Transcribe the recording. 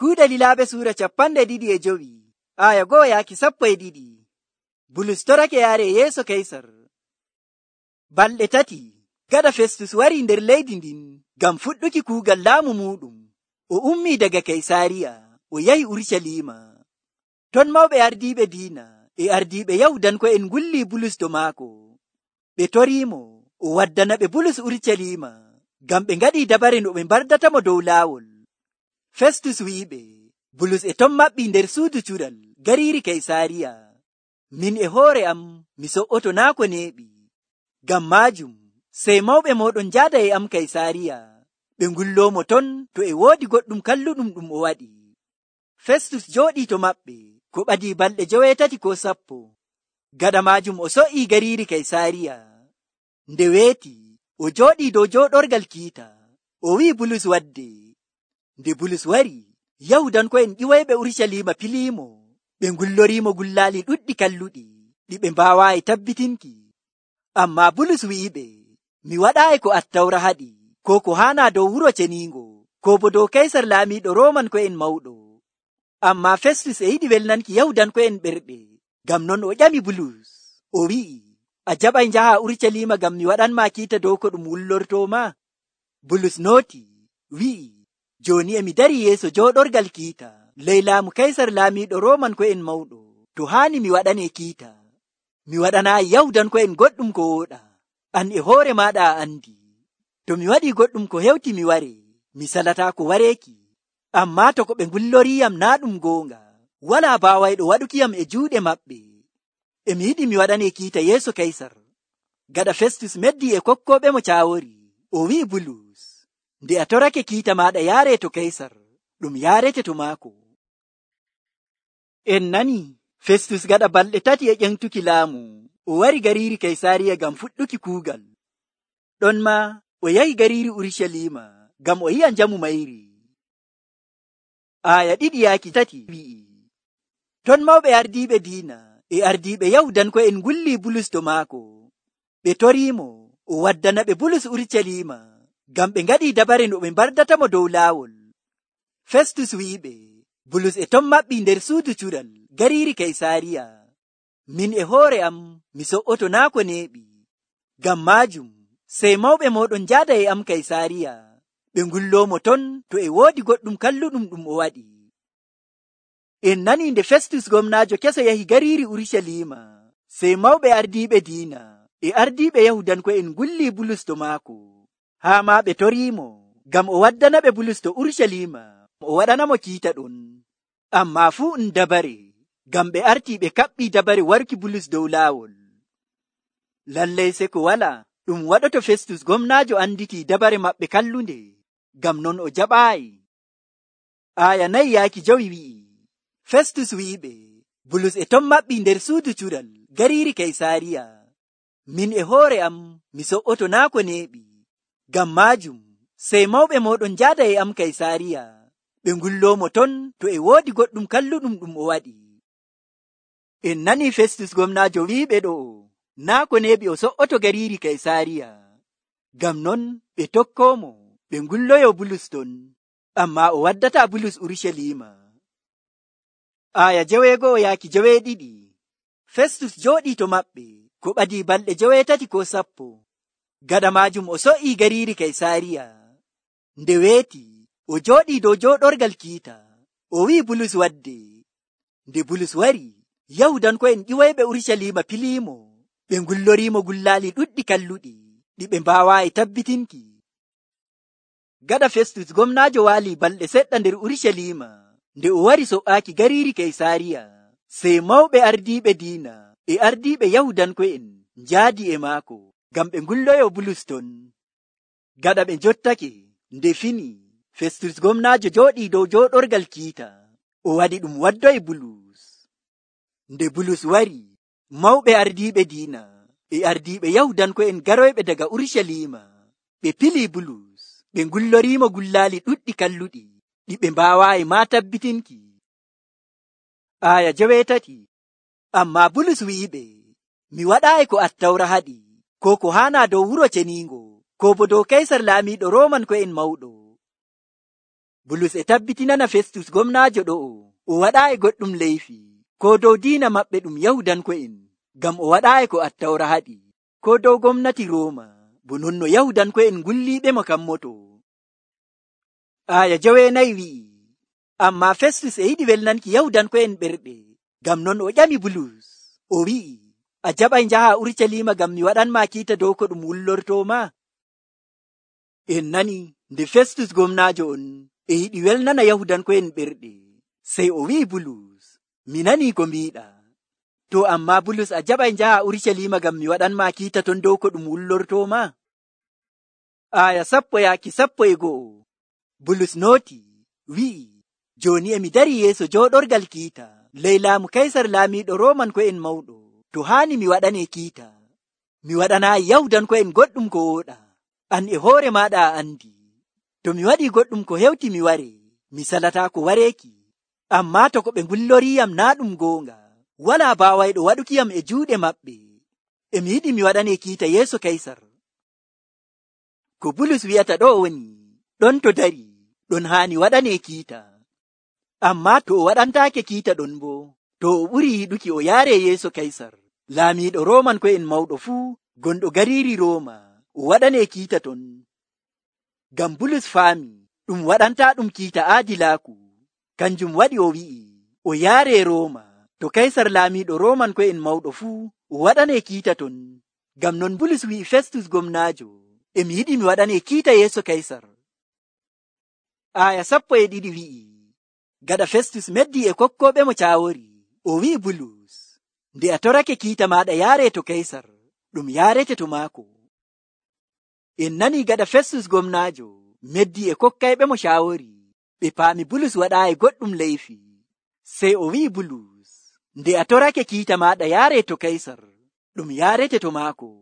Kuuɗe Lilaaɓe suura 25 aya 1-12. Bulus torake yaare yeeso Kaysar. Balɗe 3 gaɗa Festus wari nder leydi ndin ngam fuɗɗuki kuugal laamu muɗum, o ummii daga Kaysaariya o yahi Urucaliima. Ton mawɓe ardiiɓe diina e ardiiɓe Yahudanko'en ngulli Bulus to maako. Ɓe toriimo o waddanaɓe Bulus Urucaliima ngam ɓe ngaɗii dabare no ɓe mbardatamo dow laawol. Festus wi'iɓe, Bulus e ton maɓɓii nder suudu cuɗal gariiri Kaysaariya. Min e hoore am mi so'oto naa ko neeɓi. Ngam maajum sey mawɓe mooɗon njaada e am Kaysaariya ɓe ngulloomo ton to e woodi goɗɗum kalluɗum ɗum o waɗi. Festus jooɗii to maɓɓe ko ɓadii balɗe 8 ko 10. Gaɗa maajum o so'ii gariiri Kaysaariya. Nde weeti o jooɗii dow jooɗorgal kiita, o wi'i Bulus wadde. Nde Bulus wari, Yahudanko'en ƴiwoyɓe Urucaliima piliimo, ɓe ngulloriimo gullaali ɗuɗɗi kalluɗi ɗi ɓe mbaawaayi tabbitinki. Ammaa Bulus wi'iɓe, mi waɗaayi ko Attawra haɗi, ko haanaa dow wuro ceniingo, ko bo dow Kaysar laamiiɗo Roomanko'en mawɗo. Ammaa Festus e yiɗi welnanki Yahudanko'en ɓerɗe, ngam non o ƴami Bulus, o wi'i, a jaɓay njaha Urucaliima ngam mi waɗanmaa kiita dow ko ɗum wullortooma? Bulus nooti, wi'i, jooni e mi darii yeeso jooɗorgal kiita ley laamu Kaysar laamiiɗo Roomanko'en mawɗo, to haani mi waɗanee kiita. Mi waɗanaayi Yahudanko'en goɗɗum ko wooɗa, an e hoore maaɗa a andi. To mi waɗii goɗɗum ko hewti mi ware, mi salataa ko wareeki. Ammaa to ko ɓe ngulloriiyam naa ɗum goonga, walaa baawayɗo waɗukiyam e juuɗe maɓɓe. E mi yiɗi mi waɗanee kiita yeeso Kaysar. Gaɗa Festus meddii e kokkooɓemo caawori, o wi'i Bulus, nde a torake kiita maaɗa yaaree to Kaysar, ɗum yaarete to maako. En nani, Festus gaɗa balɗe 3 e ƴentuki laamu, o wari gariiri Kaysaariya ngam fuɗɗuki kuugal. Ɗon ma o yahi gariiri Urucaliima ngam o yi'a njamu mayri. Aya 2-3 wi'i, ton mawɓe ardiiɓe diina e ardiiɓe Yahudanko'en ngulli Bulus to maako. Ɓe toriimo o waddanaɓe Bulus Urucaliima ngam ɓe ngaɗii dabare no ɓe mbardatamo dow laawol. Festus wi'iɓe, Bulus e ton maɓɓii nder suudu cuɗal gariiri Kaysaariya. Min e hoore am mi so'oto naa ko neeɓi. Ngam maajum sey mawɓe mooɗon njaada e am Kaysaariya ɓe ngulloomo ton to e woodi goɗɗum kalluɗum ɗum o waɗi. En nanii nde Festus gomnaajo keso yahi gariiri Urucaliima, sey mawɓe ardiiɓe diina e ardiiɓe Yahudanko'en ngulli Bulus to maako, haa maa ɓe toriimo ngam o waddanaɓe Bulus to Urucaliima o waɗanamo kiita ɗon. Ammaa fuu dabare, ngam ɓe artii ɓe kaɓɓii dabare warki Bulus dow laawol. Lallay se ko walaa ɗum waɗoto Festus gomnaajo anditii dabare maɓɓe kallunde, ngam non o jaɓaayi. Aya 4-5 wi'i, Festus wi'iɓe, Bulus e ton maɓɓii nder suudu cuɗal gariiri Kaysaariya. Min e hoore am mi so'oto naa ko neeɓi. Ngam maajum sey mawɓe mooɗon njaada e am Kaysaariya ɓe ngulloomo ton to e woodi goɗɗum kalluɗum ɗum o waɗi. En nanii Festus gomnaajo wi'iɓe ɗo, naa ko neeɓi o so'oto gariiri Kaysaariya. Ngam non ɓe tokkoomo ɓe ngulloyo Bulus ton, ammaa o waddataa Bulus Urucaliima. Aya 9-12. Festus jooɗii to maɓɓe ko ɓadii balɗe 8 ko 10. Gaɗa maajum o so'ii gariiri Kaysaariya. Nde weeti o jooɗii dow jooɗorgal kiita, o wi'i Bulus wadde. Nde Bulus wari, Yahudanko'en ƴiwoyɓe Urucaliima piliimo, ɓe ngulloriimo gullaali ɗuɗɗi kalluɗi ɗi ɓe mbaawaayi tabbitinki. Gaɗa Festus gomnaajo waalii balɗe seɗɗa nder Urucaliima, nde o wari so'aaki gariiri Kaysaariya, sey mawɓe ardiiɓe diina e ardiiɓe Yahudanko'en njaadi e maako ngam ɓe ngulloyo Bulus ton. Gaɗa ɓe njottake, nde fini, Festus gomnaajo jooɗii dow jooɗorgal kiita, o waɗi ɗum waddoyi Bulus. Nde Bulus wari, mawɓe ardiiɓe diina e ardiiɓe Yahudanko'en garoyɓe daga Urucaliima, ɓe pilii Bulus, ɓe ngulloriimo gullaali ɗuɗɗi kalluɗi ɗi ɓe mbaawaayi maa tabbitinki. Aya 9. Ammaa Bulus wi'iɓe, mi waɗaayi ko Attawra haɗi, ko haanaa dow wuro ceniingo, ko bo dow Kaysar laamiiɗo Roomanko'en mawɗo. Bulus e tabbitinana Festus gomnaajo ɗo'o o waɗaayi goɗɗum leyfi ko dow diina maɓɓe ɗum Yahudanko'en ngam o waɗaayi ko Attawra haɗi ko dow gomnati Rooma bo non no Yahudanko'en ngulliiɓemo kammoto. Aya 9 wi'i, ammaa Festus e yiɗi welnanki Yahudanko'en ɓerɗe, ngam non o ƴami Bulus, o wi'i, a jaɓay njaha Urucaliima ngam mi waɗanmaa kiita dow ko ɗum wullortooma? En nani nde Festus gomnaajo on e yiɗi welnana Yahudanko'en ɓerɗe, sey o wi'i Bulus, mi nanii ko mbiiɗa. To ammaa Bulus a jaɓay njaha Urucaliima ngam mi waɗanmaa kiita ton dow ko ɗum wullortooma? Aya 10-11 Bulus nooti, wi'i, jooni e mi darii yeeso jooɗorgal kiita ley laamu Kaysar laamiiɗo Roomanko'en mawɗo. To haani mi waɗanee kiita, mi waɗanaayi Yahudanko'en goɗɗum ko wooɗa. An e hoore maaɗa a andi. To mi waɗii goɗɗum ko hewti mi waree, mi salataa ko wareeki. Ammaa to ko ɓe ngulloriiyam naa ɗum goonga, walaa baawayɗo waɗukiyam e juuɗe maɓɓe. E mi yiɗi mi waɗanee kiita yeeso Kaysar. Ko Bulus wi'ata ɗo woni, ɗon to dari, ɗon haani waɗanee kiita. Ammaa to o waɗantaake kiita ɗon boo, to o ɓurii yiɗuki o yaaree yeeso Kaysar, laamiiɗo Roomanko'en mawɗo fuu gonɗo gariiri Rooma, o waɗanee kiita ton. Ngam Bulus faami ɗum waɗantaa ɗum kiita aadilaaku, kanjum waɗi o wi'i o yaaree Rooma, to Kaysar laamiiɗo Roomanko'en mawɗo fuu o waɗanee kiita ton. Ngam non Bulus wi'i Festus gomnaajo, e mi yiɗi mi waɗanee kiita yeeso Kaysar. Aya 12 wi'i, gaɗa Festus meddii e kokkooɓe mo caawori, o wi'i Bulus, nde a torake kiita maaɗa yaaree to Kaysar, ɗum yaarete to maako. En nanii gaɗa Festus gomnaajo meddii e kokkayɓe mo caawori, ɓe paami Bulus waɗaayi goɗɗum leyfi. Sey o wi'i Bulus, nde a torake kiita maaɗa yaaree to Kaysar, ɗum yaarete to maako.